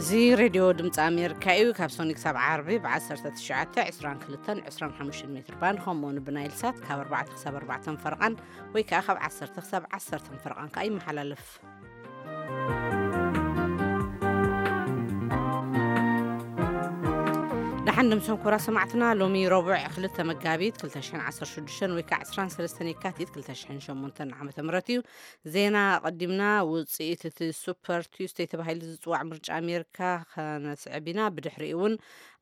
እዚ ሬድዮ ድምፂ ኣሜሪካ እዩ። ካብ ሶኒ ክሳብ ዓርቢ ብ19፣ 22፣ 25 ሜትር ባንድ፣ ከምኡ እውን ብናይል ሳት ካብ ኣርባዕተ ክሳብ ኣርባዕተ ፈረቓን፣ ወይ ከዓ ካብ ዓሰርተ ክሳብ ዓሰርተ ፈረቓን ከዓ ይመሓላለፍ። ደሓን ደምሰን ኩራ ሰማዕትና፣ ሎሚ ረቡዕ ክልተ መጋቢት ክልተ ሽሕን ዓሰርተ ሽዱሽተን ወይ ከዓ ዕስራን ሰለስተን የካቲት ክልተ ሽሕን ሸሞንተን ዓመተ ምህረት እዩ። ዜና ኣቐዲምና። ውፅኢት እቲ ሱፐር ቱስደይ ተባሂሉ ዝፅዋዕ ምርጫ ኣሜሪካ ከነስዕብ ኢና። ብድሕሪኡ እውን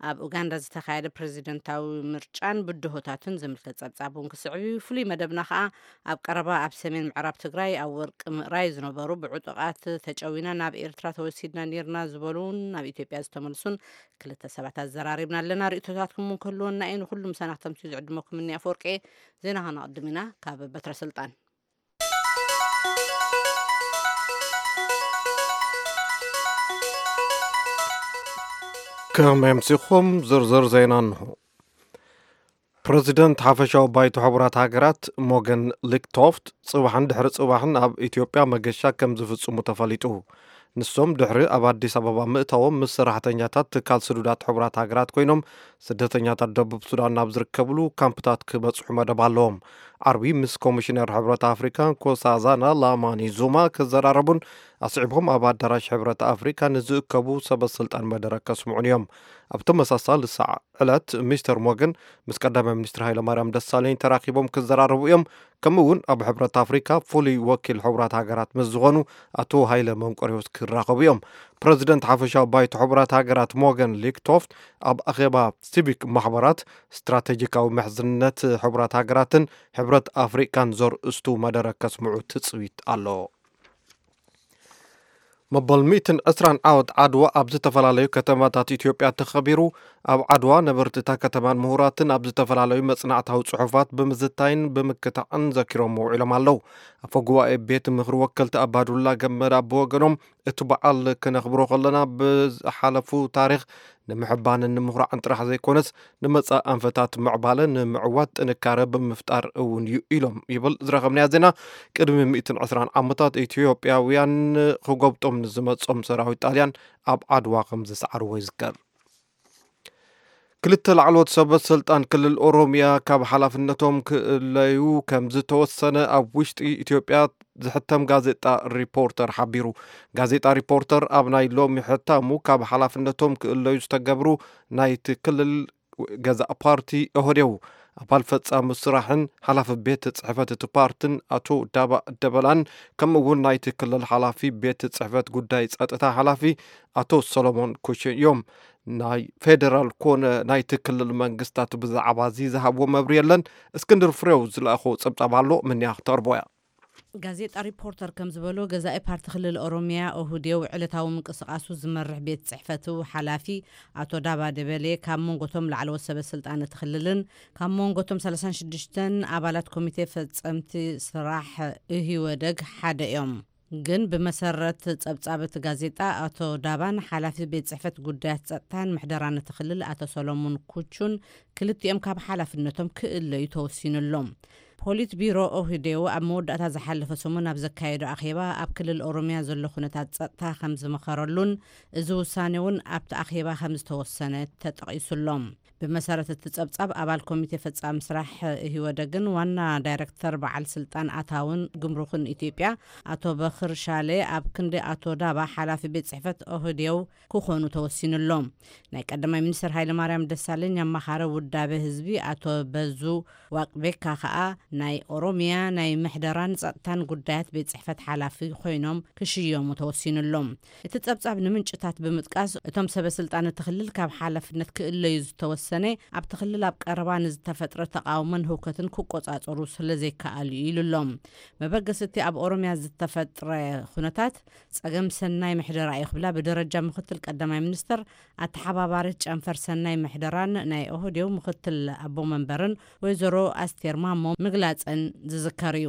ኣብ ኡጋንዳ ዝተኻየደ ፕሬዚደንታዊ ምርጫን ብድሆታቱን ዝምልከት ጸብጻብ እውን ክስዕብ እዩ። ፍሉይ መደብና ከዓ ኣብ ቀረባ ኣብ ሰሜን ምዕራብ ትግራይ ኣብ ወርቂ ምእራይ ዝነበሩ ብዕጡቓት ተጨዊና ናብ ኤርትራ ተወሲድና ነይርና ዝበሉን ናብ ኢትዮጵያ ዝተመልሱን ክልተ ሰባት ኣዘራሪብና ኣለና። ርእይቶታትኩም እውን ክህልወና እዩ። ንኩሉ ምሳና ክተምስዩ ዝዕድመኩም እኒ ኣፈወርቂ። ዜና ከነቕድም ኢና። ካብ በትረ ስልጣን ከመይ ኣምሲኹም? ዝርዝር ዜና እንሆ። ፕረዚደንት ሓፈሻዊ ባይቶ ሕቡራት ሃገራት ሞገን ሊክቶፍት ጽባሕን ድሕሪ ጽባሕን ኣብ ኢትዮጵያ መገሻ ከም ዝፍጽሙ ተፈሊጡ። ንሶም ድሕሪ ኣብ ኣዲስ ኣበባ ምእታዎም ምስ ሰራሕተኛታት ትካል ስዱዳት ሕቡራት ሃገራት ኮይኖም ስደተኛታት ደቡብ ሱዳን ናብ ዝርከብሉ ካምፕታት ክበጽሑ መደብ ኣለዎም። ዓርቢ ምስ ኮሚሽነር ሕብረት ኣፍሪካ ንኮሳዛና ላማኒ ዙማ ክዘራረቡን ኣስዒቦም ኣብ ኣዳራሽ ሕብረት ኣፍሪካ ንዝእከቡ ሰበ ስልጣን መደረ ከስምዑን እዮም። ኣብ ተመሳሳሊ ሰዓ ዕለት ሚስተር ሞገን ምስ ቀዳማይ ሚኒስትር ሃይለማርያም ደሳለኝ ተራኺቦም ክዘራረቡ እዮም። ከምኡ እውን ኣብ ሕብረት ኣፍሪካ ፍሉይ ወኪል ሕቡራት ሃገራት ምስ ዝኾኑ ኣቶ ሃይለ መንቆርዮስ ክራኸቡ እዮም። ፕረዚደንት ሓፈሻዊ ባይቶ ሕቡራት ሃገራት ሞገን ሊክቶፍት ኣብ ኣኼባ ሲቪክ ማሕበራት ስትራቴጂካዊ ምሕዝነት ሕቡራት ሃገራትን ሕብረት ኣፍሪካን ዘርእስቱ መደረ ከስምዑ ትፅቢት ኣሎ። መበል ሚእትን ዕስራን ዓወት ዓድዋ ኣብ ዝተፈላለዩ ከተማታት ኢትዮጵያ ተኸቢሩ። ኣብ ዓድዋ ነበርቲ እታ ከተማን ምሁራትን ኣብ ዝተፈላለዩ መጽናዕታዊ ጽሑፋት ብምዝታይን ብምክታዕን ዘኪሮም ውዒሎም ኣለዉ። ኣፈ ጉባኤ ቤት ምኽሪ ወከልቲ ኣባዱላ ገመዳ ብወገኖም፣ እቲ በዓል ክነኽብሮ ከለና ብዝሓለፉ ታሪኽ ንምሕባንን ንምኹራዕን ጥራሕ ዘይኮነስ ንመጻኢ ኣንፈታት ምዕባለ ንምዕዋት ጥንካረ ብምፍጣር እውን እዩ ኢሎም ይብል ዝረኸብናዮ ዜና። ቅድሚ ሚእትን ዕስራን ዓመታት ኢትዮጵያውያን ክጎብጦም ንዝመጾም ሰራዊት ጣልያን ኣብ ዓድዋ ከም ዝሰዓርዎ ይዝከር። ክልተ ላዕለዎት ሰበ ስልጣን ክልል ኦሮሚያ ካብ ሓላፍነቶም ክእለዩ ከም ዝተወሰነ ኣብ ውሽጢ ኢትዮጵያ ዝሕተም ጋዜጣ ሪፖርተር ሓቢሩ። ጋዜጣ ሪፖርተር ኣብ ናይ ሎሚ ሕታሙ ካብ ሓላፍነቶም ክእለዩ ዝተገብሩ ናይቲ ክልል ገዛእ ፓርቲ ኦህዴው ኣባል ፈጻሚ ስራሕን ሓላፊ ቤት ጽሕፈት እቲ ፓርትን ኣቶ ዳባ ደበላን ከምኡ እውን ናይቲ ክልል ሓላፊ ቤት ጽሕፈት ጉዳይ ጸጥታ ሓላፊ ኣቶ ሰሎሞን ኩሽን እዮም። ናይ ፌደራል ኮነ ናይቲ ክልል መንግስታት ብዛዕባ እዚ ዝሃብዎ መብሪ የለን። እስክንድር ፍሬው ዝለኣኾ ጸብጻብ ኣሎ፣ ምንያ ክተቕርቦ እያ። ጋዜጣ ሪፖርተር ከም ዝበሎ፣ ገዛኢ ፓርቲ ክልል ኦሮሚያ ኦህዴው ዕለታዊ ምንቅስቃሱ ዝመርሕ ቤት ጽሕፈቱ ሓላፊ ኣቶ ዳባ ደበሌ ካብ መንጎቶም ላዕለዎት ሰበ ስልጣን እቲ ክልልን ካብ መንጎቶም ሰላሳን ሽዱሽተን ኣባላት ኮሚቴ ፈጸምቲ ስራሕ ኢህወደግ ሓደ እዮም። ግን ብመሰረት ጸብጻብ እቲ ጋዜጣ፣ ኣቶ ዳባን ሓላፊ ቤት ጽሕፈት ጉዳያት ጸጥታን ምሕደራን እቲ ክልል ኣቶ ሰሎሞን ኩቹን ክልቲኦም ካብ ሓላፍነቶም ክእለዩ ተወሲኑሎም። ፖሊት ቢሮ ኦህዴው ኣብ መወዳእታ ዝሓለፈ ሰሙን ኣብ ዘካየዶ ኣኼባ፣ ኣብ ክልል ኦሮሚያ ዘሎ ኩነታት ጸጥታ ከም ዝመኸረሉን እዚ ውሳኔ እውን ኣብቲ ኣኼባ ከም ዝተወሰነ ተጠቒሱሎም። ብመሰረት እቲ ጸብጻብ፣ ኣባል ኮሚቴ ፈጻሚ ስራሕ ኢህወደግን ዋና ዳይረክተር በዓል ስልጣን ኣታውን ጉምሩክን ኢትዮጵያ ኣቶ በኽር ሻሌ ኣብ ክንዲ ኣቶ ዳባ ሓላፊ ቤት ጽሕፈት ኦህዴው ክኾኑ ተወሲኑሎም። ናይ ቀዳማይ ሚኒስትር ሃይለማርያም ደሳለኝ ኣማኻሪ ውዳበ ህዝቢ ኣቶ በዙ ዋቅቤካ ከኣ ናይ ኦሮሚያ ናይ ምሕደራን ጸጥታን ጉዳያት ቤት ጽሕፈት ሓላፊ ኮይኖም ክሽየሙ ተወሲኑሎም። እቲ ጸብጻብ ንምንጭታት ብምጥቃስ፣ እቶም ሰበ ስልጣን እቲ ክልል ካብ ሓላፍነት ክእለዩ ዝተወሰነ ኣብቲ ክልል ኣብ ቀረባ ንዝተፈጥረ ተቓውሞን ህውከትን ክቆጻጸሩ ስለ ዘይከኣሉ እዩ ኢሉሎም። መበገሲ እቲ ኣብ ኦሮሚያ ዝተፈጥረ ኩነታት ጸገም ሰናይ ምሕደራ እዩ ክብላ ብደረጃ ምክትል ቀዳማይ ሚኒስትር ኣተሓባባሪት ጨንፈር ሰናይ ምሕደራን ናይ ኦህዴው ምክትል ኣቦ መንበርን ወይዘሮ ኣስቴር ማሞ ምግላጸን ዝዝከር እዩ።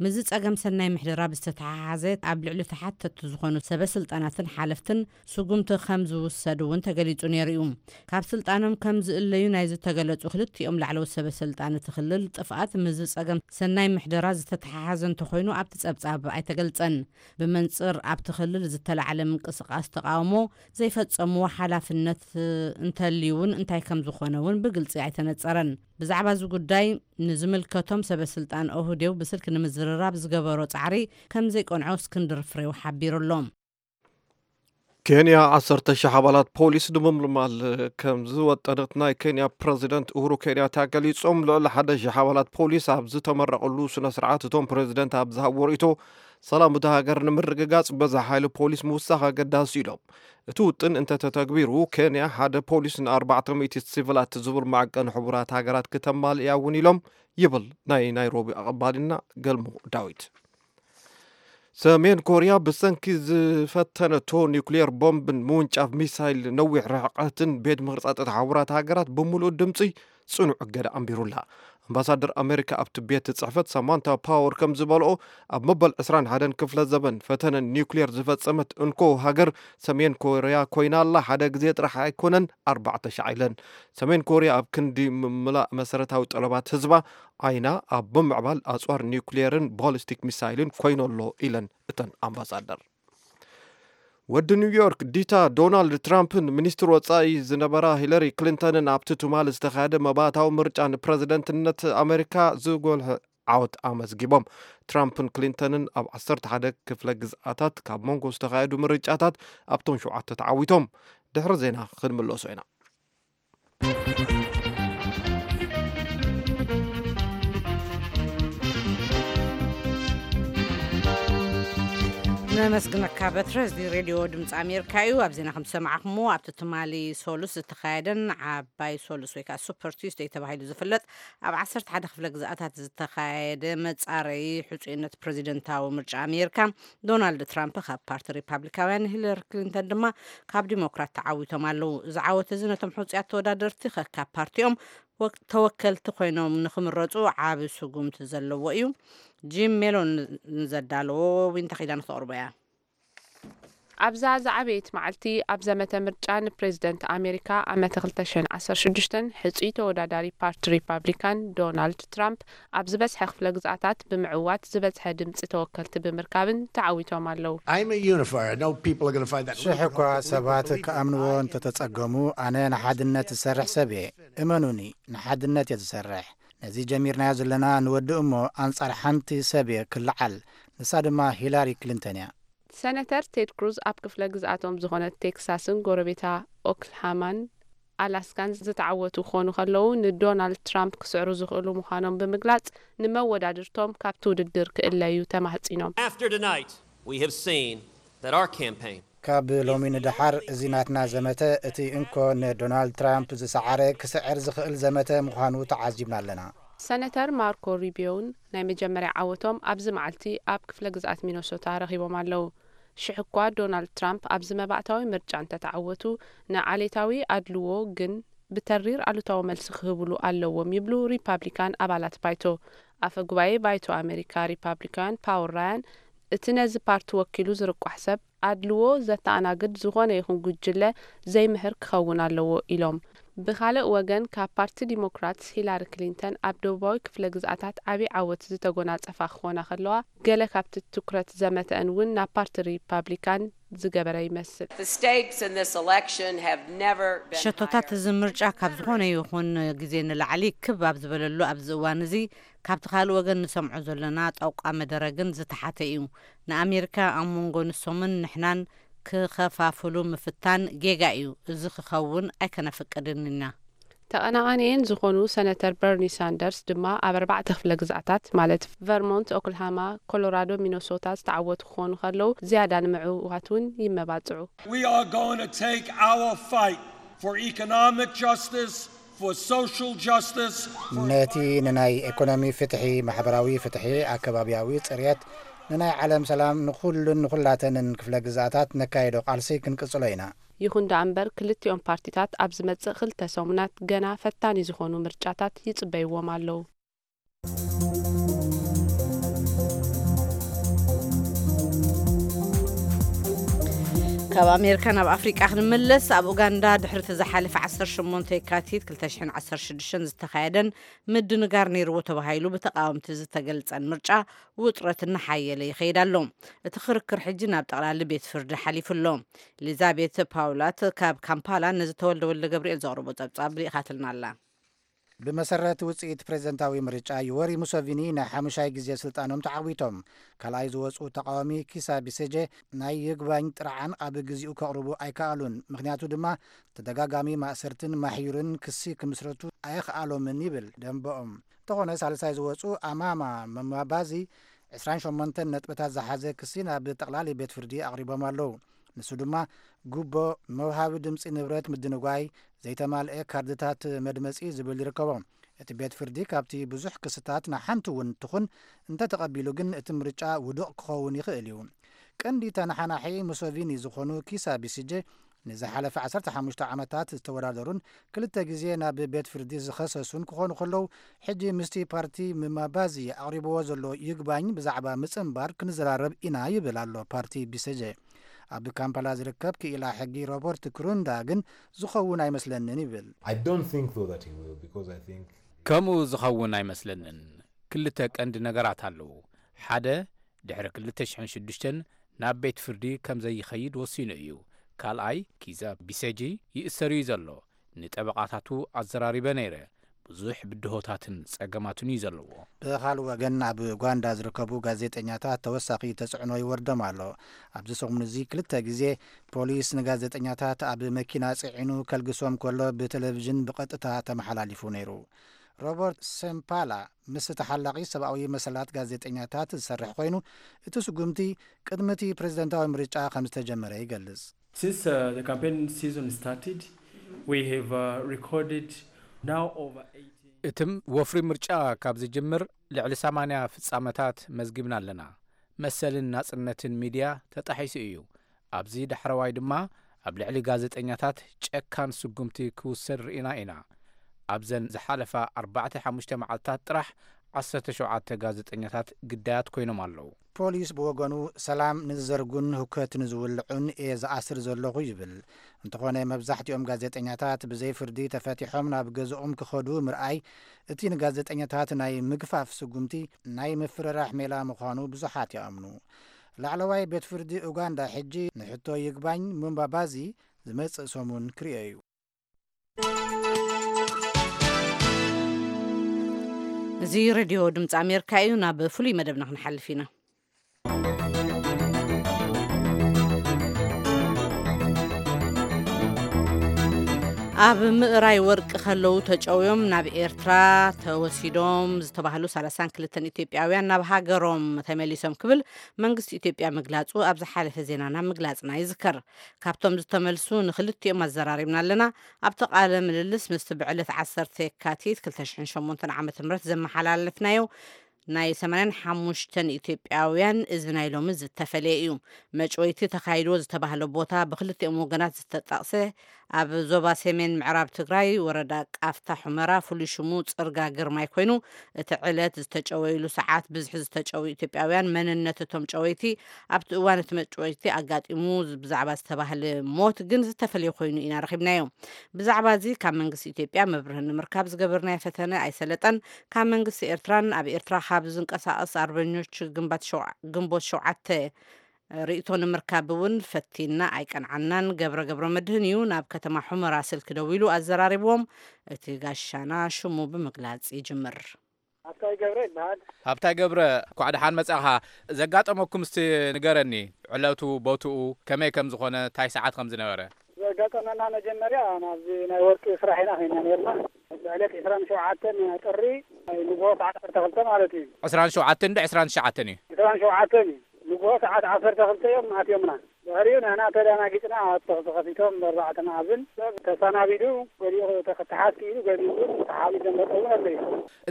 ምስዚ ጸገም ሰናይ ምሕደራ ብዝተተሓሓዘ ኣብ ልዕሊ ተሓተትቲ ዝኾኑ ሰበ ስልጣናትን ሓለፍትን ስጉምቲ ከም ዝውሰድ እውን ተገሊጹ ነይሩ እዩ። ካብ ስልጣኖም ከም ዝእለዩ ናይ ዝተገለጹ ክልቲኦም ላዕለዎት ሰበ ስልጣን እቲ ክልል ጥፍኣት ምስዚ ጸገም ሰናይ ምሕደራ ዝተተሓሓዘ እንተኾይኑ ኣብቲ ጸብጻብ ኣይተገልጸን። ብመንጽር ኣብቲ ክልል ዝተላዕለ ምንቅስቃስ ተቃውሞ ዘይፈጸምዎ ሓላፍነት እንተልዩ እውን እንታይ ከም ዝኾነ እውን ብግልጺ ኣይተነጸረን። ብዛዕባ እዚ ጉዳይ ንዝምልከቶም ሰበ ስልጣን ኦህዴው ብስልኪ ንምዝርራብ ዝገበሮ ጻዕሪ ከም ዘይቀንዖ እስክንድር ፍሬው ሓቢሩ ኣሎ። ኬንያ ዓሰርተ ሺሕ ኣባላት ፖሊስ ንምምልማል ከም ዝወጠነት ናይ ኬንያ ፕረዚደንት ኡሁሩ ኬንያታ ገሊጾም። ልዕሊ ሓደ ሺሕ ኣባላት ፖሊስ ኣብ ዝተመረቐሉ ስነ ስርዓት እቶም ፕረዚደንት ኣብ ዝሃብዎ ርእይቶ ሰላም እታ ሃገር ንምርግጋጽ በዛ ሓይሊ ፖሊስ ምውሳኽ ኣገዳሲ ኢሎም። እቲ ውጥን እንተተተግቢሩ ኬንያ ሓደ ፖሊስ ንኣርባዕተ ሚእቲ ሲቪላት ዝብል ማዕቀን ሕቡራት ሃገራት ክተማልእ እውን ኢሎም ይብል ናይ ናይሮቢ ኣቐባሊና ገልሙ ዳዊት። ሰሜን ኮርያ ብሰንኪ ዝፈተነቶ ኒውክሊየር ቦምብን ምውንጫፍ ሚሳይል ነዊሕ ርሕቀትን ቤት ምኽሪ ጸጥታ ሕቡራት ሃገራት ብምሉእ ድምፂ ጽኑዕ እገዳ ኣንቢሩላ። ኣምባሳደር ኣሜሪካ ኣብቲ ቤት ጽሕፈት ሳማንታ ፓወር ከም ዝበልኦ ኣብ መበል ዕስራን ሓደን ክፍለ ዘበን ፈተነ ኒውክሊየር ዝፈጸመት እንኮ ሃገር ሰሜን ኮርያ ኮይና ኣላ። ሓደ ግዜ ጥራሕ ኣይኮነን ኣርባዕተ ሻዕ ኢለን። ሰሜን ኮርያ ኣብ ክንዲ ምምላእ መሰረታዊ ጠለባት ህዝባ ዓይና ኣብ ብምዕባል ኣጽዋር ኒውክሊየርን ቦሊስቲክ ሚሳይልን ኮይኖ ኣሎ ኢለን እተን ኣምባሳደር። ወዲ ኒውዮርክ ዲታ ዶናልድ ትራምፕን ሚኒስትር ወጻኢ ዝነበራ ሂለሪ ክሊንተንን ኣብቲ ትማል ዝተኻየደ መባእታዊ ምርጫ ንፕረዚደንትነት ኣሜሪካ ዝጎልሐ ዓወት ኣመዝጊቦም። ትራምፕን ክሊንተንን ኣብ ዓሰርተ ሓደ ክፍለ ግዝኣታት ካብ መንጎ ዝተኻየዱ ምርጫታት ኣብቶም ሸውዓተ ተዓዊቶም። ድሕሪ ዜና ክንምለሶ ኢና። ነመስግነካ በትረ። እዚ ሬድዮ ድምፂ ኣሜሪካ እዩ። ኣብ ዜና ከም ዝሰማዕኹምዎ ኣብቲ ትማሊ ሶሉስ ዝተኻየደን ዓባይ ሶሉስ ወይ ከዓ ሱፐር ቱስደይ ተባሂሉ ዝፍለጥ ኣብ ዓሰርተ ሓደ ክፍለ ግዝኣታት ዝተኻየደ መፃረዪ ሕፁይነት ፕረዚደንታዊ ምርጫ ኣሜሪካ ዶናልድ ትራምፕ ካብ ፓርቲ ሪፓብሊካውያን፣ ሂለሪ ክሊንተን ድማ ካብ ዲሞክራት ተዓዊቶም ኣለዉ። እዚ ዓወት እዚ ነቶም ሕፁያት ተወዳደርቲ ከካብ ፓርቲኦም ተወከልቲ ኮይኖም ንክምረፁ ዓቢ ስጉምቲ ዘለዎ እዩ። ጂም ሜሎን ንዘዳለዎ ዊንታ ኪዳን ክተቕርቦ እያ። ኣብዛ ዝዓበየት መዓልቲ ኣብ ዘመተ ምርጫ ንፕሬዝደንት ኣሜሪካ ዓመተ ክልተ ሽሕን ዓሰርተ ሽዱሽተን ሕፁይ ተወዳዳሪ ፓርቲ ሪፓብሊካን ዶናልድ ትራምፕ ኣብ ዝበዝሐ ክፍለ ግዝኣታት ብምዕዋት ዝበዝሐ ድምፂ ተወከልቲ ብምርካብን ተዓዊቶም ኣለዉ። ሽሕ እኳ ሰባት ክኣምንዎ እንተተጸገሙ ኣነ ንሓድነት ዝሰርሕ ሰብ እየ። እመኑኒ፣ ንሓድነት እየ ዝሰርሕ። ነዚ ጀሚርናዮ ዘለና ንወዲ እሞ ኣንጻር ሓንቲ ሰብ እየ ክልዓል፣ ንሳ ድማ ሂላሪ ክሊንተን እያ። ሰነተር ቴድ ክሩዝ ኣብ ክፍለ ግዝኣቶም ዝኾነት ቴክሳስን ጎረቤታ ኦክልሃማን ኣላስካን ዝተዓወቱ ክኾኑ ከለዉ ንዶናልድ ትራምፕ ክስዕሩ ዝኽእሉ ምዃኖም ብምግላጽ ንመወዳድርቶም ካብቲ ውድድር ክእለዩ ተማህጺኖም። After tonight, we have seen that our campaign ካብ ሎሚ ንደሓር እዚ ናትና ዘመተ እቲ እንኮ ንዶናልድ ትራምፕ ዝሰዓረ ክስዕር ዝኽእል ዘመተ ምዃኑ ተዓዚብና ኣለና። ሰነተር ማርኮ ሩቢዮን ናይ መጀመርያ ዓወቶም ኣብዚ መዓልቲ ኣብ ክፍለ ግዝኣት ሚነሶታ ረኺቦም ኣለዉ። ሽሕ እኳ ዶናልድ ትራምፕ ኣብዚ መባእታዊ ምርጫ እንተተዓወቱ ንዓሌታዊ ኣድልዎ ግን ብተሪር ኣሉታዊ መልሲ ክህብሉ ኣለዎም ይብሉ ሪፓብሊካን ኣባላት ባይቶ። ኣፈ ጉባኤ ባይቶ ኣሜሪካ ሪፓብሊካውያን ፓውል ራያን እቲ ነዚ ፓርቲ ወኪሉ ዝርቋሕ ሰብ ኣድልዎ ዘተኣናግድ ዝኾነ ይኹን ጉጅለ ዘይምህር ክኸውን ኣለዎ ኢሎም። ብኻልእ ወገን ካብ ፓርቲ ዲሞክራትስ ሂላሪ ክሊንተን ኣብ ደቡባዊ ክፍለ ግዝኣታት ዓብዪ ዓወት ዝተጎናጸፋ ክኾና ከለዋ ገለ ካብቲ ትኩረት ዘመተአን እውን ናብ ፓርቲ ሪፓብሊካን ዝገበረ ይመስል። ሸቶታት እዚ ምርጫ ካብ ዝኾነ ይኹን ግዜ ንላዕሊ ክብ ኣብ ዝበለሉ ኣብዚ እዋን እዚ ካብቲ ካልእ ወገን ንሰምዖ ዘለና ጠውቃ መደረ ግን ዝተሓተ እዩ። ንኣሜሪካ ኣብ መንጎ ንሶምን ንሕናን ክኸፋፍሉ ምፍታን ጌጋ እዩ። እዚ ክኸውን ኣይከነፍቅድን ኢና። ተቐናቓኒኤን ዝኾኑ ሰነተር በርኒ ሳንደርስ ድማ ኣብ ኣርባዕተ ክፍለ ግዝኣታት ማለት ቨርሞንት፣ ኦክልሃማ፣ ኮሎራዶ፣ ሚነሶታ ዝተዓወቱ ክኾኑ ከለዉ ዝያዳ ንምዕዋት እውን ይመባፅዑ። We are going to take our fight for economic justice, for social justice, for ነቲ ንናይ ኢኮኖሚ ፍትሒ፣ ማሕበራዊ ፍትሒ፣ ኣከባቢያዊ ፅርየት፣ ንናይ ዓለም ሰላም ንኹሉን ንኹላተንን ክፍለ ግዝኣታት ነካየዶ ቃልሲ ክንቅጽሎ ኢና። ይኹን ደኣ እምበር ክልቲኦም ፓርቲታት ኣብ ዝመጽእ ክልተ ሰሙናት ገና ፈታኒ ዝኾኑ ምርጫታት ይጽበይዎም ኣለዉ። ካብ ኣሜሪካ ናብ ኣፍሪቃ ክንመለስ፣ ኣብ ኡጋንዳ ድሕሪ እቲ ዝሓለፈ ዓሰርተ ሸሞንተ የካቲት ክልተ ሽሕን ዓሰርተ ሽዱሽተን ዝተኻየደን ምድንጋር ነይርዎ ተባሂሉ ብተቃወምቲ ዝተገልጸን ምርጫ ውጥረት እናሓየለ ይኸይድ ኣሎ። እቲ ክርክር ሕጂ ናብ ጠቕላሊ ቤት ፍርዲ ሓሊፉ ኣሎ። ኤሊዛቤት ፓውላት ካብ ካምፓላ ነዚ ተወልደ ወልደ ገብርኤል ዘቕርቦ ጸብጻብ ልኢኻትልና ኣላ። ብመሰረት ውፅኢት ፕሬዝደንታዊ ምርጫ፣ ዩወሪ ሙሰቪኒ ናይ ሓሙሻይ ግዜ ስልጣኖም ተዓዊቶም። ካልኣይ ዝወፁ ተቃዋሚ ኪሳ ቢሴጀ ናይ ይግባኝ ጥርዓን ኣብ ግዚኡ ከቕርቡ ኣይከኣሉን። ምኽንያቱ ድማ ተደጋጋሚ ማእሰርትን ማሕዩርን ክሲ ክምስረቱ ኣየኽኣሎምን ይብል ደንበኦም። እንተኾነ ሳልሳይ ዝወፁ ኣማማ መማባዚ ዕስራን ሸሞንተን ነጥብታት ዝሓዘ ክሲ ናብ ጠቕላሊ ቤት ፍርዲ ኣቕሪቦም ኣለዉ። ንሱ ድማ ጉቦ፣ መውሃቢ ድምፂ፣ ንብረት ምድንጓይ፣ ዘይተማልአ ካርድታት መድመፂ ዝብል ይርከቦ። እቲ ቤት ፍርዲ ካብቲ ብዙሕ ክስታት ንሓንቲ እውን ትኹን እንተተቐቢሉ ግን እቲ ምርጫ ውዱቕ ክኸውን ይኽእል እዩ። ቀንዲ ተነሓናሒ ሙሶቪኒ ዝኾኑ ኪሳ ቢሲጄ ንዝሓለፈ ዓሰርተ ሓሙሽተ ዓመታት ዝተወዳደሩን ክልተ ግዜ ናብ ቤት ፍርዲ ዝኸሰሱን ክኾኑ ከለዉ፣ ሕጂ ምስቲ ፓርቲ ምማባዚ ኣቕሪብዎ ዘሎ ይግባኝ ብዛዕባ ምጽንባር ክንዘራረብ ኢና ይብል ኣሎ ፓርቲ ቢሲጄ። ኣብ ካምፓላ ዝርከብ ክኢላ ሕጊ ሮበርት ክሩንዳ ግን ዝኸውን ኣይመስለንን ይብል። I don't think though that he will, because I think ከምኡ ዝኸውን ኣይመስለንን። ክልተ ቀንዲ ነገራት ኣለዉ። ሓደ፣ ድሕሪ ክልተ ሽሕን ሽዱሽተን ናብ ቤት ፍርዲ ከም ዘይኸይድ ወሲኑ እዩ። ካልኣይ፣ ኪዛ ቢሰጂ ይእሰር እዩ ዘሎ። ንጠበቓታቱ ኣዘራሪበ ነይረ። ብዙሕ ብድሆታትን ጸገማትን እዩ ዘለዎ። ብኻልእ ወገን፣ ኣብ ኡጋንዳ ዝርከቡ ጋዜጠኛታት ተወሳኺ ተጽዕኖ ይወርዶም ኣሎ። ኣብዚ ሰሙን እዚ ክልተ ግዜ ፖሊስ ንጋዜጠኛታት ኣብ መኪና ጽዒኑ ከልግሶም ከሎ ብቴሌቪዥን ብቐጥታ ተመሓላሊፉ ነይሩ። ሮበርት ሴምፓላ ምስ ተሓላቒ ሰብኣዊ መሰላት ጋዜጠኛታት ዝሰርሕ ኮይኑ፣ እቲ ስጉምቲ ቅድሚ እቲ ፕሬዝደንታዊ ምርጫ ከም ዝተጀመረ ይገልጽ። Since uh, the campaign season started, we have uh, recorded now over eighty. እትም ወፍሪ ምርጫ ካብ ዝጅምር ልዕሊ ሰማንያ ፍጻመታት መዝጊብና ኣለና። መሰልን ናጽነትን ሚድያ ተጣሒሱ እዩ። ኣብዚ ዳሕረዋይ ድማ ኣብ ልዕሊ ጋዜጠኛታት ጨካን ስጉምቲ ክውሰድ ርኢና ኢና። ኣብዘን ዝሓለፋ ኣርባዕተ ሓሙሽተ መዓልታት ጥራሕ ዓሰርተ ሸውዓተ ጋዜጠኛታት ግዳያት ኮይኖም ኣለዉ። ፖሊስ ብወገኑ፣ ሰላም ንዝዘርጉን ሁከት ንዝውልዑን እየ ዝኣስር ዘለኹ ይብል። እንተኾነ፣ መብዛሕትኦም ጋዜጠኛታት ብዘይ ፍርዲ ተፈቲሖም ናብ ገዝኦም ክኸዱ ምርኣይ፣ እቲ ንጋዜጠኛታት ናይ ምግፋፍ ስጉምቲ ናይ ምፍርራሕ ሜላ ምዃኑ ብዙሓት ይኣምኑ። ላዕለዋይ ቤት ፍርዲ ኡጋንዳ ሕጂ ንሕቶ ይግባኝ ሙምባባዚ ዝመጽእ ሰሙን ክርእዮ እዩ። እዚ ሬድዮ ድምፂ ኣሜሪካ እዩ። ናብ ፍሉይ መደብና ክንሓልፍ ኢና። ኣብ ምእራይ ወርቂ ከለዉ ተጨውዮም ናብ ኤርትራ ተወሲዶም ዝተባህሉ ሰላሳን ክልተን ኢትዮጵያውያን ናብ ሃገሮም ተመሊሶም ክብል መንግስቲ ኢትዮጵያ ምግላጹ ኣብ ዝሓለፈ ዜናና ምግላጽና ይዝከር። ካብቶም ዝተመልሱ ንክልቲኦም ኣዘራሪብና ኣለና። ኣብቲ ቃለ ምልልስ ምስቲ ብዕለት ዓሰርተ የካቲት ክልተ ሽሕን ሸሞንተን ዓመተ ምህረት ዘመሓላለፍናዮ ናይ ሰማንያን ሓሙሽተን ኢትዮጵያውያን እዚ ናይ ሎሚ ዝተፈለየ እዩ። መጭወይቲ ተኻይድዎ ዝተባህለ ቦታ ብክልቲኦም ወገናት ዝተጠቕሰ ኣብ ዞባ ሰሜን ምዕራብ ትግራይ ወረዳ ቃፍታ ሑመራ ፍሉይ ሽሙ ጽርጋ ግርማይ ኮይኑ፣ እቲ ዕለት ዝተጨወይሉ ሰዓት ብዝሒ ዝተጨወዩ ኢትዮጵያውያን መንነት እቶም ጨወይቲ ኣብቲ እዋን እቲ መጭወይቲ ኣጋጢሙ ብዛዕባ ዝተባህለ ሞት ግን ዝተፈለየ ኮይኑ ኢና ረኺብናዮ። ብዛዕባ እዚ ካብ መንግስቲ ኢትዮጵያ መብርሂ ንምርካብ ዝገበርናዮ ፈተነ ኣይሰለጠን። ካብ መንግስቲ ኤርትራን ኣብ ኤርትራ ካብ ዝንቀሳቐስ ኣርበኞች ግንባት ሸውዓ-፣ ግንቦት ሸውዓተ ርእይቶ ንምርካብ እውን ፈቲና ኣይቀንዓናን። ገብረ ገብረ መድህን እዩ ናብ ከተማ ሑመራ ስልኪ ደዊሉ ኣዘራሪብዎም። እቲ ጋሻና ሽሙ ብምግላጽ ይጅምር። ሃብታይ ገብረ ይበሃል። ሃብታይ ገብረ፣ እንኳዕ ደሓን መጻኻ። ዘጋጠመኩም እስቲ ንገረኒ፣ ዕለቱ፣ ቦትኡ፣ ከመይ ከም ዝኾነ፣ እንታይ ሰዓት ከም ዝነበረ? ዘጋጠመና፣ መጀመርያ ናብዚ ናይ ወርቂ ስራሕ ኢና ኸይና ነርና። ዕለት ዕስራን ሸውዓተን ጥሪ፣ ንግሆ ሰዓት ዓሰርተ ክልተ ማለት እዩ። ዕስራን ሸውዓተን ዶ ዕስራን ትሽዓተን እዩ? ዕስራን ሸውዓተን እዩ። ንግሆ ሰዓት ዓሰርተ ክልተ እዮም ኣትዮምና። ድሕሪኡ ንሕና ተደናጊጽና፣ ኣብ ተኹሲ ከፊቶም ብኣርባዕተ መኣዝን ሰብ ተሰናቢዱ፣ ገሊኡ ተኽትሓት ክኢሉ፣ ገሊኡ እውን ተሓቢኡ ዘመጠ እውን ኣለዩ።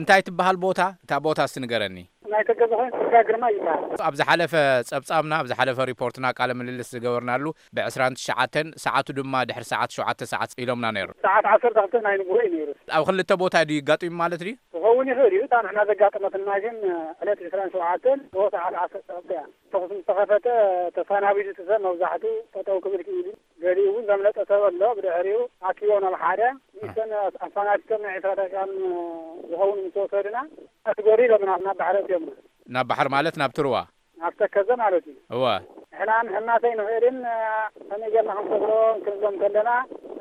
እንታይ ትበሃል ቦታ? እታ ቦታ እስቲ ንገረኒ። ናይ ተገዛኾይን ጽርጋ ግርማ ይበሃል። ኣብ ዝሓለፈ ጸብጻብና፣ ኣብ ዝሓለፈ ሪፖርትና፣ ቃለ ምልልስ ዝገበርናሉ፣ ብ ዕስራን ትሽዓተን፣ ሰዓቱ ድማ ድሕሪ ሰዓት ሸውዓተ ሰዓት ኢሎምና ነይሩ። ሰዓት ዓሰርተ ክልተ ናይ ንግሆ እዩ ነይሩ። ኣብ ክልተ ቦታ ድዩ ይጋጥም ማለት ድዩ? ክኸውን ይኽእል እዩ። እታ ንሕና ዘጋጠመትና ግን ዕለት ዕስራን ሸውዓተን ሰዓት ዓሰርተ እያ። ተኹስ ምስ ተኸፈተ ተሰናቢዱ እቲ ሰብ መብዛሕትኡ ጠጠው ክብል ክኢሉ፣ ገሊኡ እውን ዘምለጠ ሰብ ኣሎ። ብድሕሪኡ ኣኪቦም ናብ ሓደ ንሰን ኣፋናቲቶም ናይ ዕስራ ደቂቃን ዝኸውን ምስ ወሰዱና፣ ኣስገሩ ኢሎምና ናብ ባሕሪ ኣእትዮምና። ናብ ባሕሪ ማለት ናብ ትርዋ? ናብ ተከዘ ማለት እዩ። እወ። ንሕና ንሕናሰ ኣይንኽእልን፣ ከመይ ጌርና ክንሰግሮ ክንብሎም ከለና፣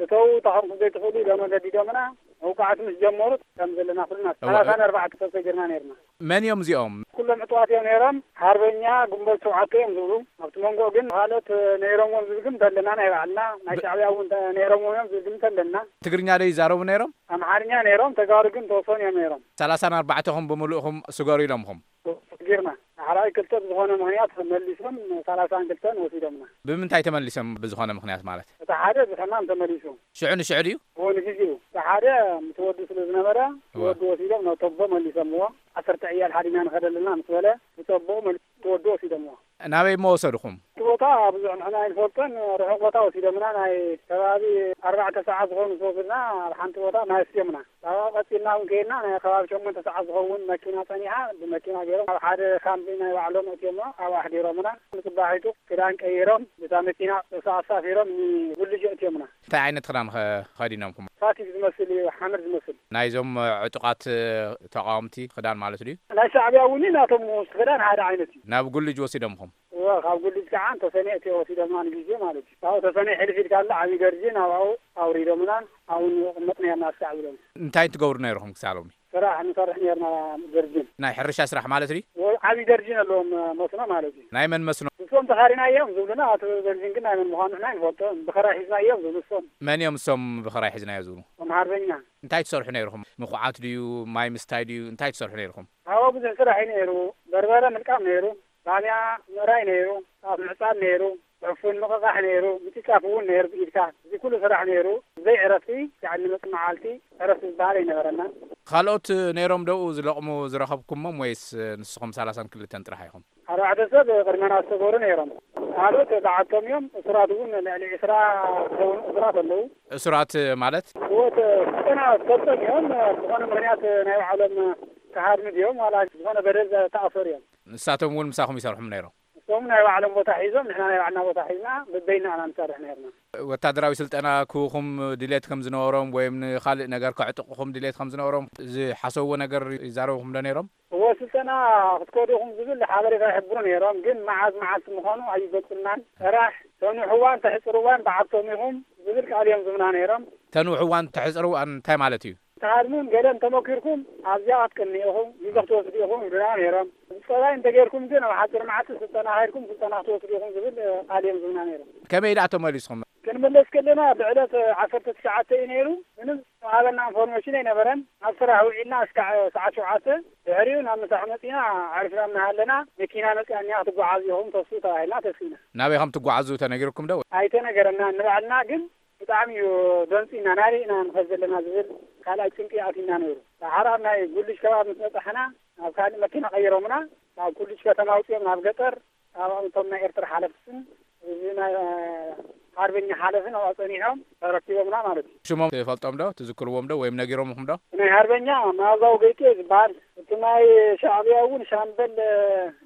እተው፣ እታ ከምኩም ዘይትኽእሉ ኢሎም ገዲዶምና። መውቃዕቲ ምስ ጀመሩ ከም ዘለና ኩልና እወ። ሰላሳን ኣርባዕተ ሰብ ሰጊርና ነርና። መን እዮም እዚኦም? ኩሎም ዕጡዋት እዮም ነይሮም። ሓርበኛ ግንቦት ሸውዓተ እዮም ዝብሉ። ኣብቲ መንጎ ግን ካልኦት ነይሮምዎም ዝብል ግን ተለና ናይ ባዕልና፣ ናይ ብ- ሻዕብያ እውን ተ-፣ ነይሮምዎም እዮም ዝብል ግን ተለና። ትግርኛ ዶ ይዛረቡ ነይሮም? ኣምሓርኛ ነይሮም፣ ተጋሩ ግን ተወሰኑ እዮም ነይሮም። ሰላሳን ኣርባዕተኹም ብምሉእኹም ስገሩ ኢሎምኹም? ጌርና። ዳሕራይ ክልተ ብዝኾነ ምኽንያት መሊሶም ሰላሳን ክልተን ወሲዶምና። ብምንታይ ተመሊሶም ብዝኾነ ምኽንያት ማለት? እቲ ሓደ ብሕማም ተመሊሱ። ሽዑ ንሽዑ ድዩ? እዎ፣ ንግዜኡ። እቲ ሓደ ምስ ወዱ ስለ ዝነበረ፣ እወ። ወዱ ወሲዶም ናብ ቶቦ መሊሶምዎ። ዓሰርተ ዕያል ሓዲና ንኸደልና ምስ በለ፣ ብቶቦ መሊሱ ወዱ ወሲዶምዎ። ናበይ እሞ ወሰድኹም? እቲ ቦታ ብዙሕ ንሕና ኣይንፈልጦን፣ ርሑቕ ቦታ ወሲዶምና፣ ናይ ከባቢ ኣርባዕተ ሰዓት ዝኾኑ ዝወስድና፣ ኣብ ሓንቲ ቦታ ማይ ኣስትዮምና። ካብኡ ቀጺልና እውን ከይድና፣ ናይ ከባቢ ሸሞንተ ሰዓት ዝኸውን መኪና ጸኒሓ፣ ብመኪና ገይሮም ኣብ ሓደ ካምፕ ናይ ባዕሎም ኣእትዮምና፣ ኣብኡ ኣሕዲሮምና። ንጽባሒቱ ክዳን ቀይሮም፣ ብታ መኪና ኣሳፊሮም ንጉልጅ ኣእትዮምና። እንታይ ዓይነት ክዳን ኸ-፣ ኸዲኖምኩም? ፋቲግ ዝመስል እዩ፣ ሓመድ ዝመስል። ናይዞም ዕጡቓት ተቓወምቲ ክዳን ማለት ድዩ? ናይ ሻዕብያ እውን እዩ፣ ናቶም ክዳን ሓደ ዓይነት እዩ። ናብ ጉልጅ ወሲዶምኹም? እወ፣ ካብ ጉልጅ ከዓ ተሰኔ እቲ ወሲዶምና ንግዜ ማለት እዩ። ካብኡ ተሰኔ ሕልፍ ኢልካ ኣሎ ዓብዪ ደርጅን፣ ኣብኡ ኣውሪዶምና፣ ኣብኡ ንቕመጥ ነርና እስካዕ ብሎም። እንታይ ትገብሩ ነይርኹም ክሳብ ሎሚ? ስራሕ ንሰርሕ ነርና፣ ደርጅን። ናይ ሕርሻ ስራሕ ማለት ድዩ? እወ፣ ዓብዪ ደርጅን ኣለዎም፣ መስኖ ማለት እዩ። ናይ መን መስኖ? ንሶም ተኻሪና እዮም ዝብሉና፣ እቲ ደርጅን ግን ናይ መን ምዃኑ ንሕና ኣይንፈልጦን። ብኸራይ ሒዝና እዮም ዝብሉ ንሶም። መን እዮም እሶም ብኸራይ ሒዝናዮ ዝብሉ? እቶም ሓርበኛ። እንታይ ትሰርሑ ነይርኹም? ምኹዓት ድዩ? ማይ ምስታይ ድዩ? እንታይ ትሰርሑ ነይርኹም? ኣብኡ ብዙሕ ስራሕ እዩ ነይሩ። በርበረ ምልቃም ነይሩ። ባንያ ምእራይ ነይሩ፣ ጣፍ ምዕጻድ ነይሩ፣ ዕፉን ምቕቓሕ ነይሩ፣ ምጭፍጫፍ እውን ነይሩ ብኢድካ። እዚ ኩሉ ስራሕ ነይሩ። ብዘይ ዕረፍቲ፣ ክሳዕ እንመጽእ መዓልቲ ዕረፍቲ ዝበሃል ኣይነበረናን። ካልኦት ነይሮም ዶ ዝለቕሙ ዝረኸብኩሞም ወይስ ንስኹም ሰላሳን ክልተን ጥራሕ ኢኹም? ኣርባዕተ ሰብ ቅድመና ዝተገሩ ነይሮም። ካልኦት በዓልቶም እዮም። እሱራት እውን ልዕሊ ዕስራ ዝኸውን እሱራት ኣለዉ። እሱራት ማለት? ህይወት ስልጠና ዝሰልጠኑ እዮም። ዝኾነ ምኽንያት ናይ ባዕሎም ክሃድሙ ድዮም ዋላ ዝኾነ በደል ዝተኣሰሩ እዮም። ንሳቶም እውን ምሳኹም ይሰርሑም ነይሮም? እሶም ናይ ባዕሎም ቦታ ሒዞም፣ ንሕና ናይ ባዕልና ቦታ ሒዝና፣ በበይና ኢና ንሰርሕ ነርና። ወታደራዊ ስልጠና ክህቡኹም ድሌት ከም ዝነበሮም ወይም ንኻልእ ነገር ከዕጥቑኹም ድሌት ከም ዝነበሮም ዝሓሰብዎ ነገር ይዛረቡኹም ዶ ነይሮም? እወ፣ ስልጠና ክትከዱ ኢኹም ዝብል ሓበሬታ ይሕብሩ ነይሮም፣ ግን መዓዝ መዓልቲ ምዃኑ ኣይገልጹልናን። ጥራሕ ተንውሕዋን ተሕጽርዋን በዓልቶም ኢኹም ዝብል ቃል እዮም ዝብና ነይሮም። ተንውሕዋን ተሕጽርዋን እንታይ ማለት እዩ? ተሃድሙን ገለን ተመኪርኩም ኣብዚኣ ክትቅንዩ ኢኹም፣ ግዜ ክትወስዱ ኢኹም ይብሉና ነይሮም። ጸባይ እንተጌርኩም ግን ኣብ ሓጺር መዓልቲ ስልጠና ከይድኩም ስልጠና ክትወስዱ ኢኹም ዝብል ቃል እዮም ዝብና ነይሮም። ከመይ ደኣ ተመሊስኹም? ክንምለስ ከለና ብዕለት ዓሰርተ ትሽዓተ እዩ ነይሩ። ምንም ዝሃበና ኢንፎርሜሽን ኣይነበረን። ኣብ ስራሕ ውዒልና እስካዕ ሰዓት ሸውዓተ፣ ድሕሪኡ ናብ ምሳሕ መጺና ኣዕሪፍና እናሃለና መኪና መጺኣ እኒኣ ክትጓዓዝ ኢኹም ተስኡ ተባሂልና ተስኢና። ናበይ ከም ትጓዓዙ ተነጊርኩም ዶ? ኣይተነገረና። ንባዕልና ግን ብጣዕሚ እዩ ደንጺና፣ ናበይ ኢና ንኸድ ዘለና ዝብል ካልኣይ ጭንቂ ኣትዩና ነይሩ። ደሓር ኣብ ናይ ጉልጅ ከባቢ ምስ በጻሕና፣ ናብ ካልእ መኪና ቀይሮምና፣ ካብ ጉልጅ ከተማ ኣውጺኦም ናብ ገጠር፣ ኣብኦም እቶም ናይ ኤርትራ ሓለፍትን እዚ ናይ ሓርበኛ ሓለፍን ኣብኣ ጸኒሖም ተረኪቦምና ማለት እዩ። ሽሞም ትፈልጦም ዶ? ትዝክርዎም ዶ? ወይም ነጊሮምኹም ዶ? ናይ ሓርበኛ መኣዛዊ ገይጡ እዩ ዝበሃል። እቲ ናይ ሻዕብያ እውን ሻምበል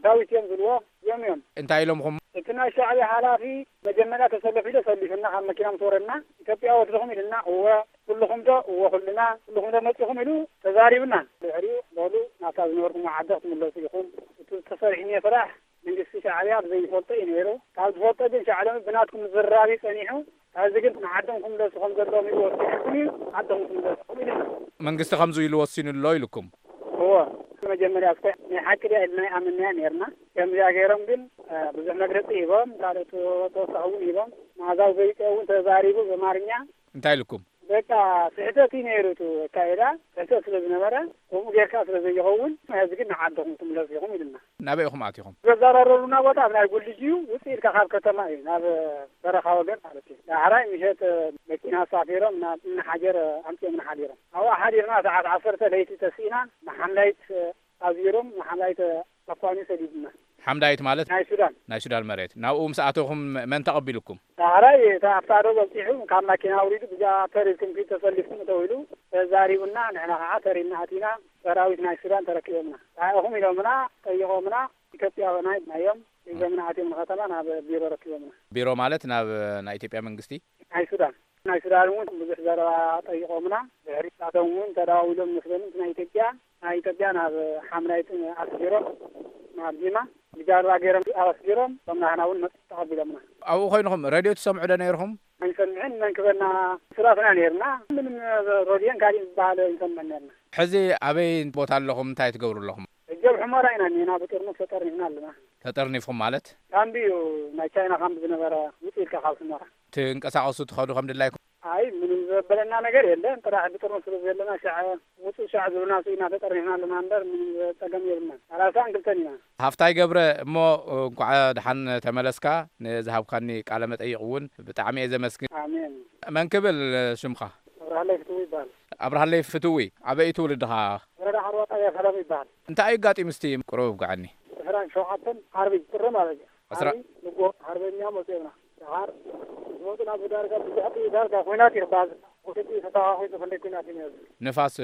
ዳዊት እዮም ዝብልዎ። እዮም እዮም። እንታይ ኢሎምኹም? እቲ ናይ ሻዕብያ ሓላፊ መጀመርያ ተሰለፉ ኢሉ ሰሊፉና፣ ካብ መኪና ምስ ወረድና፣ "ኢትዮጵያ ወድኹም?" ኢሉና። "እወ፣ ኩልኹም ዶ?" "እወ፣ ኩልና። ኩልኹም ዶ መጺኹም?" ኢሉ ተዛሪቡና። ድሕሪኡ፣ "በሉ፣ ናብታ ዝነበርኩምዎ ዓዲ ክትምለሱ ኢኹም። እቲ ተሰሪሑ እኒኦ ስራሕ መንግስቲ ሻዕብያ ብዘይፈልጦ እዩ ነይሩ። ካብ ዝፈልጦ ግን ሻዕብያ ብናትኩም ዝራብ እዩ ጸኒሑ። ሕዚ ግን ንዓዶም ክምለሱ ከም ዘለዎም እዩ ወሲንኩም እዩ፣ ዓዶም ክምለሱ ኢሉና." መንግስቲ ከምዚ ኢሉ ወሲኑ ኣሎ ኢልኩም? እወ፣ መጀመርያ እስከ ናይ ሓቂ ድያ ኢልና ኣይኣመንናያ ነይርና። ከምዚኣ ገይሮም ግን፣ እ፣ ብዙሕ መግለጺ ሂቦም፣ ካልኦት ተወሳኺ እውን ሂቦም። መኣዛዊ ገይጡ እውን ተዛሪቡ ብኣማርኛ። እንታይ ኢልኩም? በቃ ስሕተት እዩ ነይሩ፣ እቲ ኣካይዳ ስሕተት ስለ ዝነበረ፣ ከምኡ ጌርካ ስለ ዘይኸውን፣ ሕዚ ግን ንዓድኹም ትምለሱ ኢኹም ኢሉና። ናበይ ኢኹም ኣቲኹም? ዘዘራረቡና ቦታ ኣብ ናይ ጉልጅ እዩ፣ ውፅእ ኢልካ ካብ ከተማ እዩ፣ ናብ በረኻ ወገን ማለት እዩ። ዳሕራይ ምሸት መኪና ኣሳፊሮም ናብ እምኒ ሓጀር ኣምፂኦምና ሓዲሮም። ኣብኡ ሓዲርና ሰዓት ዓሰርተ ለይቲ ተስኢና፣ ንሓምዳይት ኣዚሮም፣ ንሓምዳይት ኣኳኒ ሰዲዱና። ሓምዳይት ማለት? ናይ ሱዳን። ናይ ሱዳን መሬት። ናብኡ ምስ ኣተኹም መን ተቐቢልኩም? ዳሕራይ እታ ኣብታ ዶ በፂሑ፣ ካብ ማኪና ኣውሪዱ፣ ብጃ ተሪርኩም ኪድ ተሰሊፍኩም እተው ኢሉ፣ ተዛሪቡና፣ ንሕና ከዓ ተሪና ኣቲና። ሰራዊት ናይ ሱዳን ተረኪቦምና። እንታይ ኢኹም ኢሎምና፣ ጠይቖምና። ኢትዮጵያውያን ኢልናዮም። ሒዞምና ኣትዮም ንከተማ ናብ ቢሮ ረኪቦምና። ቢሮ ማለት ናብ ናይ ኢትዮጵያ መንግስቲ? ናይ ሱዳን። ናይ ሱዳን እውን ብዙሕ ዘረባ ጠይቖምና። ድሕሪ ናቶም እውን ተደዋዊሎም መስለኒ፣ ናይ ኢትዮጵያ፣ ናይ ኢትዮጵያ ናብ ሓምናይት ኣስጊሮም፣ ናብ ጂማ ብጃልባ ገይሮም ኣስጊሮም፣ እቶም ናህና እውን መጽ ተቐቢሎምና። ኣብኡ ኮይንኹም ሬድዮ ትሰምዑ ዶ ነይርኹም? ኣይንሰምዕን፣ መን ክበና? ስራትና ነይርና። ምንም ሬድዮን ካሊእ ዝበሃል ኣይንሰምዕን ነይርና። ሕዚ ኣበይ ቦታ ኣለኹም? እንታይ ትገብሩ ኣለኹም? ሕጂ ኣብ ሑመራ ኢና እኒና፣ ብጥርሙስ ተጠርኒፍና ኣለና። ተጠርኒፍኩም ማለት? ካምቢ እዩ፣ ናይ ቻይና ካምቢ ዝነበረ፣ ውፅእ ኢልካ ካብ ሑመራ። ትንቀሳቐሱ ትኸዱ ከም ድላይኩም? ኣይ፣ ምንም ዘበለና ነገር የለን። ጥራሕ ብጥርሙስ ስለ ዘለና፣ ሻዕ ውፅእ ሻዕ ዝብልና ስኢና ተጠርኒፍና ኣለና እምበር፣ ምንም ጸገም የብልናን። ሰላሳን ክልተን ኢና። ሃፍታይ ገብረ፣ እሞ እንኳዕ ደሓን ተመለስካ። ንዝሃብካኒ ቃለ መጠይቕ እውን ብጣዕሚ እየ ዘመስግን። ኣሜን። መን ክብል ሽምኻ? ኣብርሃለይ ፍትዊ ይበሃል። ኣብርሃለይ ፍትዊ፣ ኣበይ ትውልድኻ? ወረዳ ዓርዋ ጣብያ ሰላም ይበሃል። እንታይ እዩ ኣጋጢሙ እስቲ ቁሩብ ኣውግዓኒ። ዕስራን ሸውዓተን ዓርቢ ጥሪ ማለት እዩ። ዕስራ ዓርቢ ንጎ ሓርበኛ መፅኦምና። ደሓር ዝመፁ ናብ ዳርጋ ብዙሕ ጥይት ዳርጋ ኲናት እዩ ክበሃል። ወገጢ ተተኻኺሱ ክንደይ ኲናት እዩ ነይሩ። ንፋስ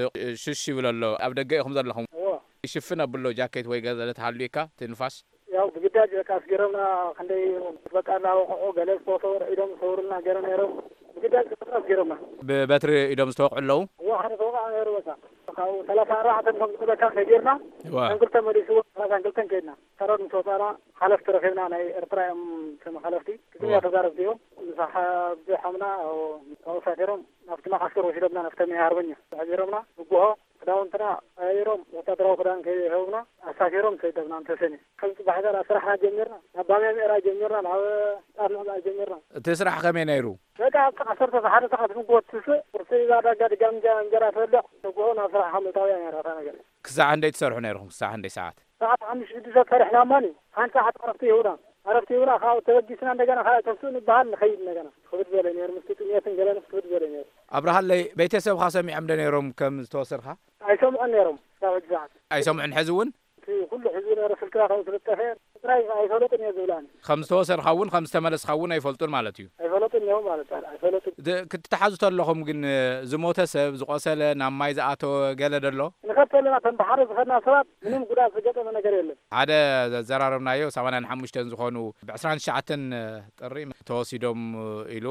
ሽሽ ይብል ኣሎ። ኣብ ደገ ኢኹም ዘለኹም? እዎ። ይሽፍን ኣብሎ ጃኬት ወይ ገለ ተሃልዩካ እቲ ንፋስ? ያው ብግዳጅ በቃ ኣስገረምና። ክንደይ በቃ እናወቕዑ ገለ ዝተወሰወረ ኢዶም ዝሰውሩልና ገለ ነይሮም። ብግዳጅ በቃ ኣስገረምና። ብበትሪ ኢዶም ዝተወቕዑ ኣለዉ? እዎ፣ ሓደ ተወቃዕ ነይሩ በቃ። ካብኡ ሰላሳ ኣርባዕተ ከም ዝበካ ከይጌርና፣ እዋ። ሰንክልተ መሊስዎ፣ ሰላሳ ክልተን ከይድና። ሰራዊት ምስ ወፃና ሓለፍቲ ረኺብና፣ ናይ ኤርትራ እዮም እቶም ሓለፍቲ። ትግርኛ እዋ። ተዛረብቲ እዮም። ምስ ሓ-፣ ብሓምና፣ ካብኡ ሳፊሮም ናብቲ መዓስከር ወሲዶምና፣ ናብቲ መ-፣ ሓርበኛ ኣሕዲሮምና። ንግሆ ክዳውንትና ቀያይሮም፣ ወታደራዊ ክዳን ከይህቡና፣ ኣሳፊሮም ሰደዱና ንተሰንየ። ከም ጽባሕ ዘርኣ ስራሕና ጀሚርና፣ ናብ ባምያ ምእራይ ጀሚርና፣ ናብ ጣፍ ምዕባይ ጀሚርና። እቲ ስራሕ ከመይ ነይሩ? በቃ፣ ኣብቲ ዓሰርተ ሰዓት ንግሆ ትስእ፣ ቁርሲ ዳርጋ ድጋሚ እንጀራ፣ እንጀራ ትበልዕ፣ ንግሆ ናብ ስራሕኻ ምእታው እያ ነይራ እታ ነገር። ክሳዕ ክንደይ ትሰርሑ ነይርኹም? ክሳዕ ክንደይ ሰዓት? ሰዓት ሓሙሽተ ሽዱሽተ ሰሪሕና እማኒ፣ ሓንቲ ሰዓት ዕረፍቲ ይህቡና። ዕረፍቲ ይህቡና፣ ካብኡ ተበጊስና እንደገና ካልኣይ ተስኡ ንበሃል ንኸይድ እንደገና። ክብድ ዝበለ ነይሩ፣ ምስቲ ጥሜትን ገለንስ ክብድ ዝበለ ነይሩ። ኣብርሃለይ፣ ቤተሰብኻ ሰሚዖም ዶ ነይሮም ከም ዝተወሰድካ? ኣይሰምዑን ነይሮም፣ ክሳብ ሕጂ ሰዓት። ኣይሰምዑን ሕዚ እውን? እቲ ኩሉ ሕዚ ነይሩ ስልክና ከም ዝልጠፈ ጥራይ ኣይፈለጡን እየ ዝብላኒ። ከም ዝተወሰድካ እውን ከም ዝተመለስካ እውን ኣይፈልጡን ማለት እዩ? ኣይፈለጡን እዮም ማለት እዩ፣ ኣይፈለጡን። ድ-፣ ክትተሓዙ ተለኹም ግን፣ ዝሞተ ሰብ፣ ዝቖሰለ፣ ናብ ማይ ዝኣተወ ገለ ዶ ኣሎ? ንኸድ ተለና፣ እተን ብሓደ ዝኸድና ሰባት ምንም ጉድኣት ዝገጠመ ነገር የለን። ሓደ ዘዘራረብናዮ ሰማንያን ሓሙሽተን ዝኾኑ ብዕስራን ትሽዓተን ጥሪ ተወሲዶም ኢሉ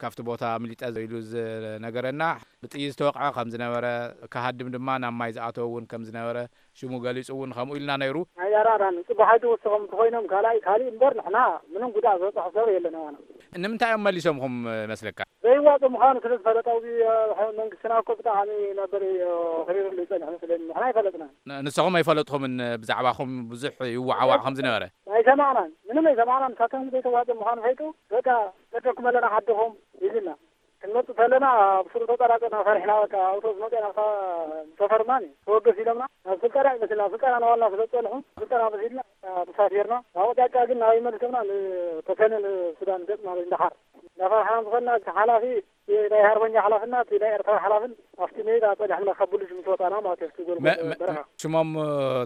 ካብቲ ቦታ ኣምሊጠ ኢሉ ዝነገረና፣ ብጥይት ዝተወቕዐ ከም ዝነበረ፣ ክሃድም ድማ ናብ ማይ ዝኣተወ እውን ከም ዝነበረ፣ ሽሙ ገሊጹ እውን ከምኡ ኢልና ነይሩ። ናይ ኣራዳን ጽቡሓይ ትወስኾም እንተኾይኖም ካልኣይ፣ ካልእ እምበር ንሕና ምንም ጉድኣት ዝበጽሖ ሰብ የለን ኣባና። ንምንታይ እዮም መሊሶምኹም መስለካ? ዘይዋጽእ ምዃኑ ስለ ዝፈለጠ፣ ኣብዚ፣ እ፣ መንግስትና እኮ ብጣዕሚ ነበር፣ እ፣ ክሪርሉ ይጸንሕ መስለኒ። ንሕና ኣይፈለጥናን። ን-፣ ንስኹም ኣይፈለጥኹምን ብዛዕባኹም ብዙሕ ይወዓዋዕ ከም ዝነበረ? ኣይሰማዕናን። ምንም ኣይሰማዕናን። ንሳቶም ዘይተዋጽእ ምዃኑ ፈሊጡ፣ በቃ፣ ሰደኩም ኣለና ዓድኹም ኢሉና። ክንመጽእ ከለና ኣብ ስሩ ተጠራጠርና ፈሪሕና፣ በቃ፣ ኣውቶቡስ መጺኣ ናብታ ሰፈርና ተወገስ ኢሎምና። ናብ ስልጠና ይመስልና፣ ስልጠና ናባልና ስለ ዝጸንሑ፣ ስልጠና መሲልና ተሳፊርና። ኣብኡ ዳጫ ግን ናበይ መሊሶምና? ንተሰነ ንሱዳን ገጽ ማለት ንደሓር። እንዳፈራሕና ዝኾንና፣ እቲ ሓላፊ፣ እቲ ናይ ሃርበኛ ሓላፍና፣ እቲ ናይ ኤርትራ ሓላፍን ኣብቲ ሜዳ ጸኒሖምና ካብ ብሉጅ ምስ ወጻና ማለት እዩ፣ ኣብቲ ጎልጎል መ-፣ መ-፣ በረኻ። ሽሞም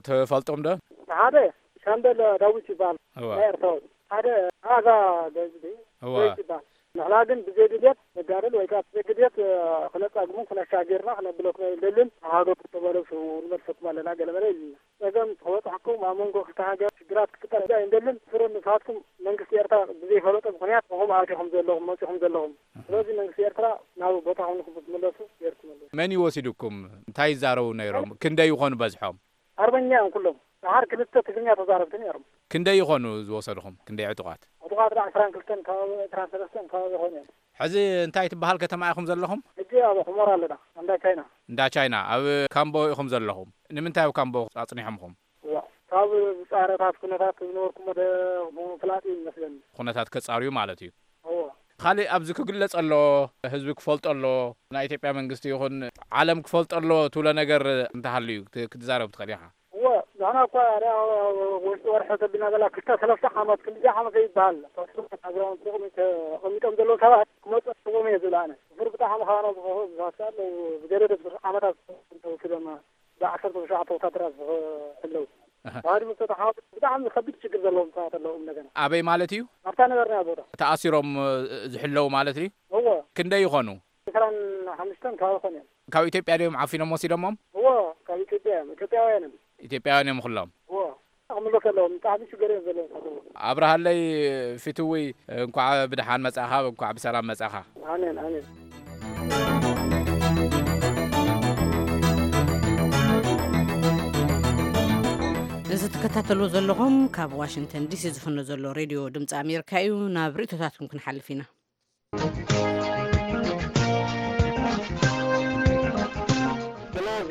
ትፈልጦም ዶ? እቲ ሓደ ሻምበል ዳዊት ይበሃል፣ እዋ። ናይ ኤርትራ። ሓደ ኣዛ ዳዊት እዋ። ይበሃል። ንሕና ግን ብዘይ ድልየት ነጋድል ወይ ከዓ ብዘይ ድልየት፣ እ፣ ክነጻግሙ ክነሻግርና ክነብለኩም ኣይንደልን። ተዋህዶ ተበለሱ፣ ንመልሰኩም ኣለና ገለ መለ ኢሉና። ጸገም ክበጽሐኩም ኣብ መንጎ ክልተ ሃገር ሽግራት ክፍጠር ኣይንደልን። ስሩ ንስኻትኩም መንግስቲ ኤርትራ ብዘይፈለጦ ምኽንያት ኢኹም ኣቲኹም ዘለኹም፣ መጺኹም ዘለኹም። ስለዚ መንግስቲ ኤርትራ ናብ ቦታኹም ንክትምለሱ ጌርኩም ኣለኹም። መን እዩ ወሲዱኩም? እንታይ ይዛረቡ ነይሮም? ክንደይ ይኾኑ በዝሖም? ኣርበኛ እዮም ኩሎም። ደሓር ክልተ ትግርኛ ተዛረብቲ ነይሮም። ክንደይ ይኾኑ ዝወሰድኹም? ክንደይ ዕጡቓት? ዕጡቓት ዳ ዕስራን ክልተን፣ ካብ ዕስራን ሰለስተን ከባቢ ይኾኑ እዮም። ሕዚ እንታይ ትበሃል ከተማ ኢኹም ዘለኹም? ሕጂ ኣብ ሑመራ ኣለና፣ እንዳ ቻይና። እንዳ ቻይና፣ ኣብ ካምቦ ኢኹም ዘለኹም። ንምንታይ ኣብ ካምቦ ኣጽኒሖምኹም? እዋ፣ ካብ ዝጻረታት ኩነታት ዝነበርኩሞ ደ-፣ ምፍላጥ እዩ ይመስለኒ። ኩነታት ከጻርዩ ማለት እዩ። እዋ። ካልእ ኣብዚ ክግለጽ ኣለዎ፣ ህዝቢ ክፈልጦ ኣለዎ። ናይ ኢትዮጵያ መንግስቲ ይኹን ዓለም ክፈልጦ ኣለዎ ትብሎ ነገር እንተሃልዩ ክት-፣ ክትዛረብ ትኽእል ኢኻ። እወ፣ ንሕና እኳ ዳ-፣ ውሽጢ ወርሒ ተቢልና ዘላ ክልተ ሰለስተ ዓመት፣ ክንድዚ ዓመት ዘይበሃል፣ ተስፋ ኣግራውንቲ ጥቕሚ ተቐሚጦም ዘለዉ ሰባት ክመጹ ኣለዎም እየ ዝብል ኣነ። ብር ብጣዕሚ ካባና ዝኸፍኡ ብዙሓት ኣለዉ። ብገለ ደብር ዓመታት ተወሲዶም ብዓሰርተ ትሽዓተ ወታደራት ዝኸ-፣ ኣለዉ። ኣሃ። ተዋህዶ ምስ ተተሓወሱ ብጣዕሚ ከቢድ ችግር ዘለዎም ሰባት ኣለዉ። እንደገና ኣበይ ማለት እዩ? ኣብታ ነበርና ቦታ። ተኣሲሮም፣ እ፣ ዝሕለዉ ማለት እዩ? እወ። ክንደይ ይኾኑ? ዕስራን ሓሙሽተን ከባቢ ኾኑ እዮም። ካብ ኢትዮጵያ ድዮም ዓፊኖም ወሲዶሞም? እዎ፣ ካብ ኢትዮጵያ እዮም። ኢትዮጵያውያን እዮም። ኢትዮጵያውያን እዮም ኩሎም? እዎ። ኣኽምሎ ከለዎም ብጣዕሚ ሽገር እዮም ዘለዎም። ኣብርሃለይ ፍትውይ፣ እንኳዕ ብደሓን መጻኻ፣ እንኳዕ ብሰላም መጻኻ። ኣሜን፣ ኣሜን። እዚ ትከታተሉ ዘለኹም ካብ ዋሽንግተን ዲሲ ዝፍኖ ዘሎ ሬድዮ ድምፂ ኣሜሪካ እዩ። ናብ ርእቶታትኩም ክንሓልፍ ኢና። ብናዚ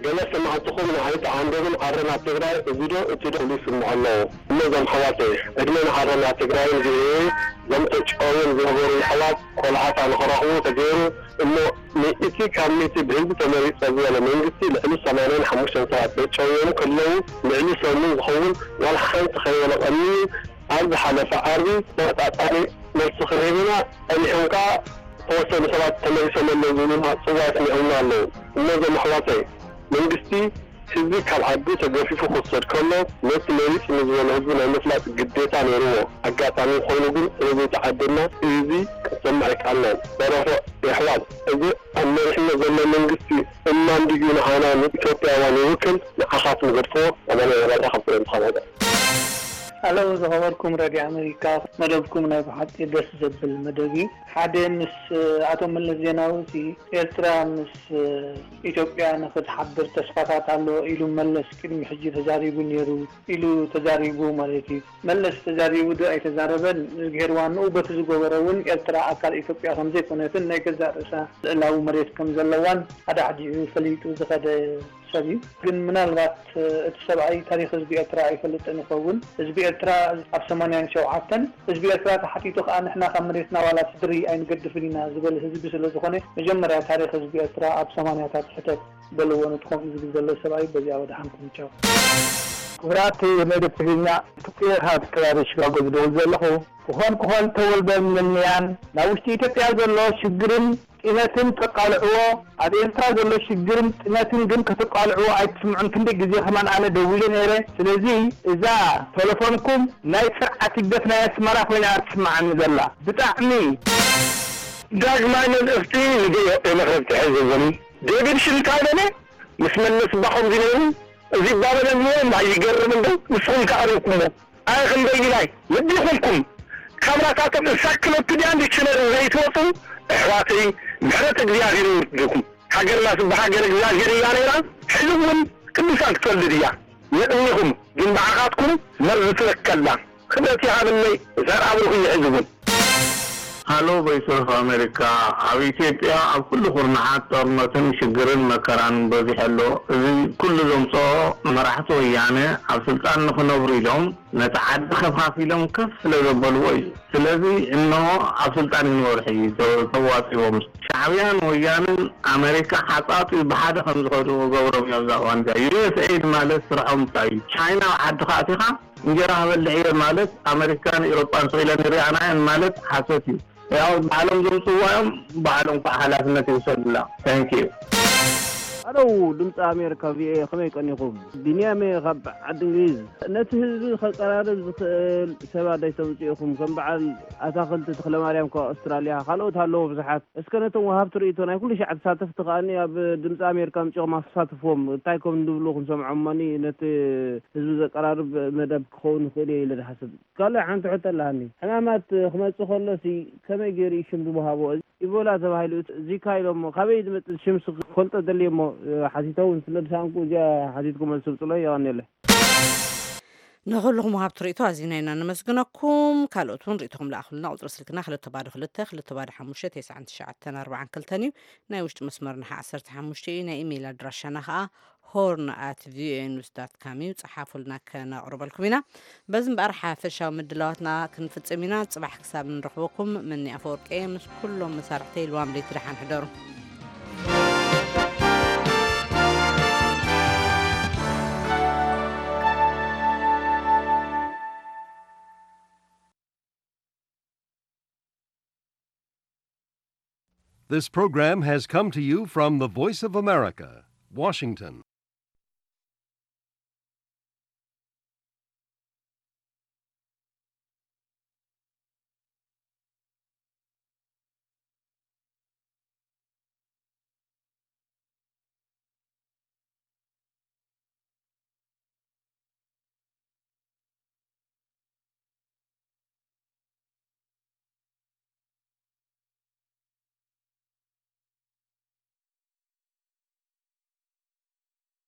ገለ ሰማዕትኹም ንዓይ ተዓንደብን ኣረና ትግራይ እዚ ዶ እቲ ዶ ክብሉ ይስምዑ ኣለዉ። እሞ እዞም ኣሕዋተይ፣ ዕድመ ንኣረና ትግራይን ቪኦኤ፣ እዞም ተጨውዮም ዝነበሩ ኣሕዋት ቆልዓታ ንኽረኽቡ ተገይሩ። እሞ ንእቲ ካብ ሚእቲ ብህዝቢ ተመሪጸ ዝበለ መንግስቲ ልዕሊ ሰማንያን ሓሙሽተን ሰባት ተጨውዮም ከለዉ፣ ልዕሊ ሰሙን ዝኸውን ዋላ ሓንቲ ከይበለ ቀኒዩ። ኣብ ዝሓለፈ ዓርቢ ተመጣጣኒ መልሲ ክህብ ኢና ጸኒሖም ከኣ ዝተወሰኑ ሰባት ተመሊሶም ኣለዉ ዝብሉና ጽዋያት ስሚዖምና ኣለዉ። እሞ እዞም ኣሕዋተይ፣ መንግስቲ ህዝቢ ካብ ዓዱ ተገፊፉ ክውሰድ ከሎ ነቲ መሪጽኒ ዝበሎ ህዝቢ ናይ ምፍላጥ ግዴታ ነይርዎ። ኣጋጣሚ ኮይኑ ግን ስለ ዘይተዓደና እዚ ክንሰምዕ ኣይከኣልናን። ተረፈ የሕዋት፣ እዚ ኣብ መሪሕነት ዘሎ መንግስቲ እማን ድዩ ንዓና ንኢትዮጵያውያን ይውክል? ንዓኻት ንገድፍዎ። ኣባና የባዳ ካብ ፍሬም ተኸባዳ። ኣለው ዝኸበርኩም ረድዮ ኣሜሪካ፣ መደብኩም ናይ ብሓቂ ደስ ዘብል መደብ እዩ። ሓደ ምስ ኣቶ መለስ ዜናዊ ሲ ኤርትራ ምስ ኢትዮጵያ ንክትሓብር ተስፋታት ኣሎ ኢሉ መለስ ቅድሚ ሕጂ ተዛሪቡ ነይሩ ኢሉ ተዛሪቡ ማለት እዩ። መለስ ተዛሪቡ ዶ ኣይተዛረበን፣ እዝግሄር ዋንኡ በቲ ዝገበሮ እውን ኤርትራ ኣካል ኢትዮጵያ ከም ዘይኮነትን ናይ ገዛእ ርእሳ ልእላዊ መሬት ከም ዘለዋን ኣዳሕዲሑ ፈሊጡ ዝኸደ ሰብ እዩ። ግን ምናልባት እቲ ሰብኣይ ታሪኽ ህዝቢ ኤርትራ ኣይፈልጥን ይኸውን። ህዝቢ ኤርትራ ኣብ ሰማንያን ሸውዓተን ህዝቢ ኤርትራ ተሓቲቱ ከኣ ንሕና ካብ መሬትና ዋላ ስድሪ ኣይንገድፍን ኢና ዝበል ህዝቢ ስለ ዝኾነ መጀመርያ ታሪኽ ህዝቢ ኤርትራ ኣብ ሰማንያታት ሕተት በልዎ ነቲ ከምኡ ዝብል ዘሎ ሰብኣይ በዚኣ ወድሓንኩም ቻው። ክቡራት መደብ ትግርኛ፣ ትኩየታት ከባቢ ሽካጎ ዝደውል ዘለኹ። ክኾን ክኾን ተወልደን ምንያን ናብ ውሽጢ ኢትዮጵያ ዘሎ ሽግርን ጢነትን ተቃልዕዎ፣ ኣብ ኤርትራ ዘሎ ሽግርን ጢነትን ግን ከተቃልዕዎ ኣይትስምዑን። ክንደይ ግዜ ከማን ኣነ ደዊለ ነይረ። ስለዚ እዛ ቴሌፎንኩም ናይ ስርዓት ህግደፍ ናይ ኣስመራ ኮይና ትስምዓኒ ዘላ። ብጣዕሚ ዳግማይ መልእኽቲ ንደዮ መኽረብቲ ሕዝብን ዴቪድ ሽንካይበነ ምስ መለስ እባ ከምዚ ነይሩ፣ እዚ እባ በለ እሞ እምባ ይገርም እንዶ ንስኹም ከ ኣበይኩሞ? ኣይ ክንደይ ኢላይ ልቢ ይኹንኩም። ካምራታቶም እንሳክሎፒድያን ዲክሽነርን ዘይትወፁ ኣሕዋተይ፣ ምሕረት እግዚኣብሔር ይውርድኩም። ሃገርና ስባ ሃገር እግዚኣብሔር እያ ነይራ፣ ሕዚ እውን ቅዱሳን ክትወልድ እያ። የቕኒኹም ግን ብዓኻትኩም መርዚ ትበከላ። ክብረት ይሃበለይ ዘርኣ ብሩኽ እዩ ሕዚ እውን። ሃሎ ቮይስ ኦፍ ኣሜሪካ፣ ኣብ ኢትዮጵያ ኣብ ኩሉ ኩርናዓት ጦርነትን ሽግርን መከራን በዚሑ ኣሎ። እዚ ኩሉ ዘምፅኦ መራሕቲ ወያነ ኣብ ስልጣን ንክነብሩ ኢሎም ነቲ ዓዲ ከፋፊሎም ከፍ ስለ ዘበልዎ እዩ። ስለዚ እነሆ ኣብ ስልጣን ይንበሩ ሕጂ ተ- ተዋፂዎም። ሻዕብያን ወያንን ኣሜሪካ ሓፃፂ ብሓደ ከም ዝኸዱ ገብሮም እዮም። እዛ እዋን እዚኣ ዩ ኤስ ኤድ ማለት ስርሖም እንታይ እዩ? ቻይና ኣብ ዓድኻ ኣቲኻ እንጀራ ክበልዕ እየ ማለት ኣመሪካን ኤውሮጳን ስቕ ኢለን ይሪኣና እየን ማለት ሓሶት እዩ። ያው ባዕሎም ዘምፅዋ እዮም፣ ባዕሎም ከዓ ሓላፍነት ይውሰዱላ። Thank you። ኣለው ድምፂ ኣሜሪካ ቪኦኤ ከመይ ቀኒኹም? ቢንያም እየ ካብ ዓዲ እንግሊዝ። ነቲ ህዝቢ ከቀራርብ ዝኽእል ሰባት ኣይተምፅኡ ኢኹም። ከም በዓል ኣታኽልቲ ተኽለማርያም ካብ ኣውስትራልያ፣ ካልኦት ኣለዉ ብዙሓት። እስከ ነቶም ወሃብቲ ርእይቶ ናይ ኩሉ ሻዕ ተሳተፍቲ ከኣኒ ኣብ ድምፂ ኣሜሪካ ኣምፂኦም ኣሳትፍዎም። እንታይ ከም ዝብሉ ክንሰምዖም እሞኒ ነቲ ህዝቢ ዘቀራርብ መደብ ክኸውን ይኽእል እየ ኢለ ዝሓስብ። ካልእ ሓንቲ ሕቶ ኣለሃኒ። ሕማማት ክመጽእ ከሎሲ ከመይ ገይሩ እዩ ሽም ዝወሃቦ? ኢቦላ ተባሂሉ ዚካ ኢሎሞ። ካበይ ዝመጽእ ሽምስ ክፈልጦ ደልየ እሞ ሓቲተ እውን ስለ ዝሰኣንኩ እዚኣ ሓቲትኩ መልሲ ምጽሎ። የቐንየለይ። ንኹልኹም ወሃብቲ ርእይቶ ኣዚና ኢና ነመስግነኩም። ካልኦት እውን ርእይቶኹም ለኣኹልና። ቁጽሪ ስልክና ክልተ ባዶ ክልተ፣ ክልተ ባዶ ሓሙሽተ፣ ተስዓን ትሽዓተን ኣርባዓን ክልተን እዩ። ናይ ውሽጢ መስመርና ኸዓ ዓሰርተ ሓሙሽተ እዩ። ናይ ኢሜይል ኣድራሻና ኸዓ ሆርን ኣት ቪኦኤ ኒውስ ዳት ካም እዩ። ጸሓፉልና፣ ከነቕርበልኩም ኢና። በዚ እምበኣር ሓፈሻዊ ምድላዋትና ክንፍጽም ኢና። ጽባሕ ክሳብ እንረኽበኩም፣ ምኒ ኣፈወርቂ ምስ ኩሎም መሳርሕተይ ልዋም ለይቲ ደሓን ሕደሩ። This program has come to you from the Voice of America, Washington.